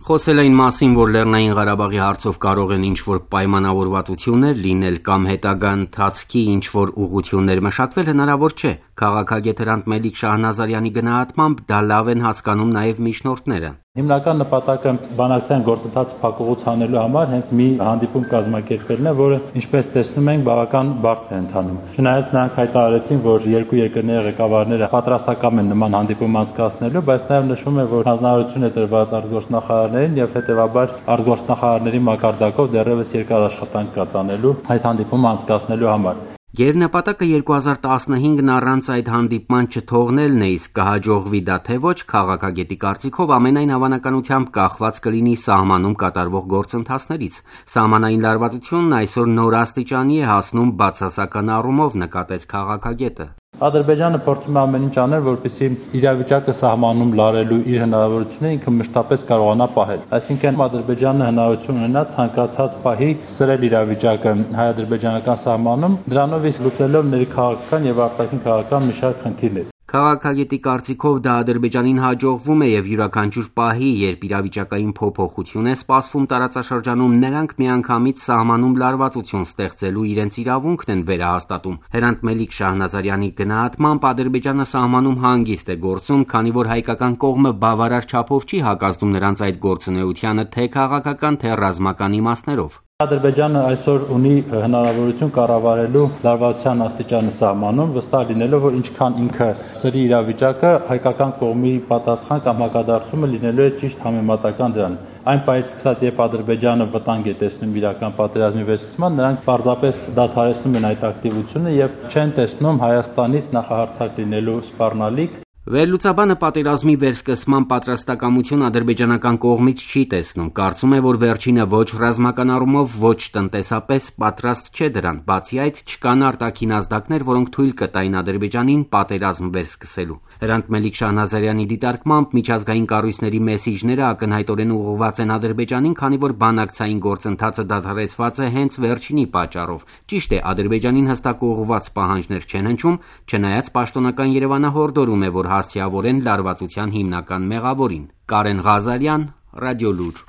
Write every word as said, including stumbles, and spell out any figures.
Խոսել այն մասին, որ Լեռնային Ղարաբաղի հարցով կարող են ինչ-որ պայմանավորվածություններ լինել կամ հետագա ընթացքի ինչ-որ ուղղություններ մշակվել, հնարավոր չէ։ Քաղաքագետ Հրանտ Մելիք Շահնազարյանի գնահատմամբ դա լավ են հասկանում նաև միջնորդները։ Հիմնական նպատակը բանակցային գործընթացը փակուղուց հանելու համար հենց մի հանդիպում կազմակերպելն է, որը ինչպես տեսնում ենք, բավական բարդ է ընթանում։ Չնայած նրանք հայտարարեցին, որ երկու երկրների ղեկավարները պատրաստակամ են նման հանդիպում անցկացնելու, բայց նաև նշվում է, որ հանձնարարություն է տրված արտգործնախարարներին եւ հետեւաբար արտգործնախարարների մակարդակով դեռևս երկար աշխատանք կա տանելու այդ հանդիպումը անցկացնելու համար։ Գերնպատակը երկու հազար տասնհինգն առանց այդ հանդիպման չթողնելն է, իսկ կհաջողվի դա թե ոչ, քաղաքագետի կարծիքով ամենայն հավանականությամբ կախված կլինի սահմանում կատարվող գործընթացներից։ Սահմանային լարվածությունն այսօր նոր աստիճանի է հասնում բացասական առումով, նկատեց քաղաքագետը։ Ադրբեջանը փորձում է ամեն ինչ անել, որպեսզի իրավիճակը սահմանում լարելու իր հնարավորությունները ինքը մշտապես կարողանա պահել։ Այսինքն Ադրբեջանը հնարավորություն ունենա ցանկացած պահի սրել իրավիճակը հայ-ադրբեջանական սահմանում, դրանով իսկ լուծելով ներքաղաքական եւ արտաքին քաղաքական մի շարք խնդիրներ։ Քաղաքագետի կարծիքով դա Ադրբեջանին հաջողվում է եւ յուրաքանչյուր պահի, երբ իրավիճակային փոփոխություն է սպասվում տարածաշրջանում, նրանք միանգամից սահմանում լարվածություն ստեղծելու իրենց իրավունքն են վերահաստատում։ Հրանտ Մելիք Շահնազարյանի գնահատմամբ Ադրբեջանը սահմանում հանգիստ է գործում, քանի որ հայկական կողմը բավարար չափով չի հակազդում նրանց այդ գործունեությանը թե քաղաքական, թե ռազմական իմաստներով։ Ադրբեջանը այսօր ունի հնարավորություն կառավարելու լարվածության աստիճանը սահմանում, վստահ լինելով, որ ինչքան ինքը սրի իրավիճակը, հայկական կողմի պատասխան կամ հակադարձումը լինելու է ճիշտ համեմատական դրան։ Այն պահից սկսած, երբ Ադրբեջանը վտանգ է տեսնում իրական պատերազմի վերսկսման, նրանք պարզապես դադարեցնում են այդ ակտիվությունը եւ չեն տեսնում Հայաստանից նախահարձակ լինելու սպառնալիք։ Վերլուծաբանը պատերազմի վերսկսման պատրաստակամություն ադրբեջանական կողմից չի տեսնում, կարծում է, որ վերջինը ոչ ռազմական առումով, ոչ տնտեսապես պատրաստ չէ դրան, բացի այդ չկան արտաքին ազդակներ, որոնք թույլ կտային Ադրբեջանին պատերազմ վերսկսելու։ Հրանտ Մելիք Շահնազարյանի դիտարկմամբ միջազգային կառույցների մեսիջները ակնհայտորեն ուղղված են Ադրբեջանին, քանի որ բանակցային գործընթացը դադարեցված է հենց վերջինի պատճառով։ Ճիշտ է, Ադրբեջանին հստակ ուղղված պահանջներ չեն հնչում, չնայած պաշտոնական Երևանը հորդորում է, որ հասցեավորեն լարվածության հիմնական մեղավորին։ Կարեն Ղազարյան, Ռադիոլուր։